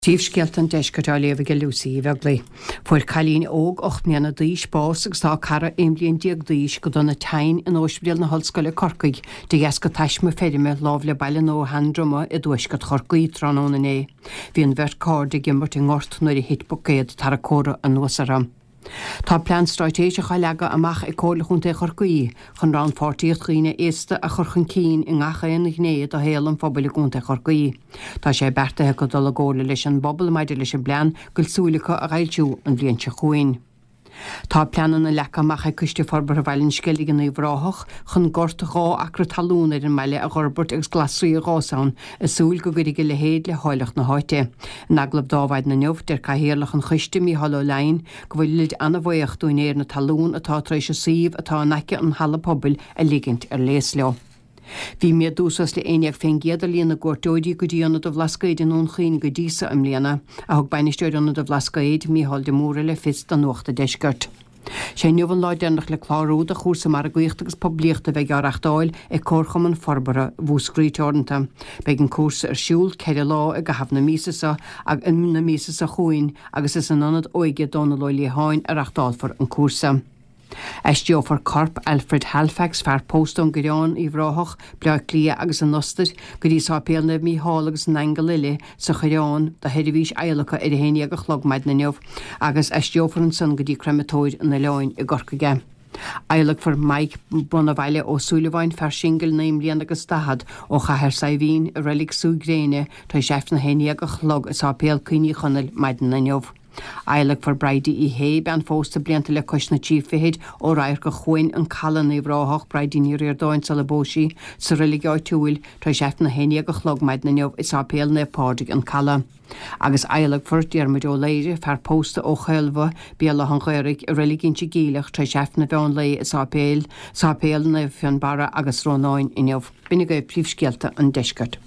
Príomhscéalta an Deiscirt á léamh ag Lucy Uí Bheaglaoi. Fuair cailín óg 8 mbliana d'aois bás agus tá a cara 11 bliain d'aois go dona tinn in Ospidéal na hOllscoile Corcaigh de dheasca taisme feirme lámh le Baile Nua Sheandroma i dtuaisceart Chorcaí tráthnóna inné. Bhí an bheirt cairde ag imirt i ngort nuair a thit buicéad tarracóra anuas orthu. Tá plean stráitéiseach á leagadh amach ag Comhairle Chontae Chorcaí chun rannpháirtíocht dhaoine aosta a chur chun cinn i ngach aon ghné de shaol an phobail i gContae Chorcaí. Tá sé beartaithe acu dul i gcomhairle leis an bpobal maidir leis an bplean go bhfuil súil acu a fhoilsiú an bhliain seo chugainn. Tá pleananna leagtha amach ag Coiste Forbartha Bhaile an Sceilg in Uíbh Ráthach chun gort 2 acra talún ar an mbaile a dh'fhorbairt agus glasraí a dh'fhás ann i súil go gcuirfidh a leithéid le háilleacht na háite. In agallamh d'Adhmhaidin inniu, deir Cathaoirleach an choiste, Mícheál Ó Leidhin, go bhfuilid ana-bhaoch d'úinéir na talún atá tar éis an suíomh atá in aice an halla pobail a ligint ar léas leo. Bhí méadú suas le 11% ar líon na gcuairteoirí go dtí Ionad an Bhlascaoid i nDún Chaoin go dtí so i mbliana, a thug Bainisteoir Ionad an Bhlascaoid, Mícheál de Mórdha le fios do Nuacht an Deiscirt. Sé inniu an lá deireanach le clárú do chúrsa margaíochta agus poiblíochta a bheidh á reachtáil ag Comharchumann Forbartha Mhúscraí Teoranta. Beidh an cúrsa ar siúl 4 lá i gcaitheamh na míosa seo na míosa seo chugainn agus is in Ionad Óige Dónal Ó Liatháin a reachtálfar an cúrsa. Aistreofar corp Alfred Halfax, fear pósta ón gCoireán, Uíbh Ráthach, Bleá Cliath agus an Ostair, go dtí Sáipéal Naomh Mícheál agus na nAingeal Uile sa Choireán do sheirbhís adhlactha ar a 11 a chlog maidin inniu agus aistreofar ansan go dtí Creimeatóir an Oileáin i gCorcaigh é. Adhlacfar Mike Bonabhaile Ó Súilleabháin, fear singil 9 mbliana agus 40, ó Chathair Saidhbhín, i reilig Sú Gréine tar éis Aifreann a 11 a chlog i Sáipéal Cuimhní Chonaill maidin inniu. Adhlacfar Bridie Uí Shé, bean phósta blianta le cois na trí fichid, ó Radharc an Chuain, An Caladh in Uíbh Ráthach, Bridie Ní Ríordáin sula bpós sí, sa reilig áitiúil, tar éis Aifreann a 11 a chlog maidin inniu i Sáipéal Naomh Pádraig, An Caladh. Agus adhlacfar Diarmuid Ó Laoire, fear pósta ó Chaolbhadh, Béal Átha an Ghaorthaidh, i reilig Inse Geimhleach tar éis Aifreann an mheán lae i Sáipéal, Sáipéal Naomh Fionnbarra agus Rónáin inniu. B'in agaibh príomhscéalta an deiscirt.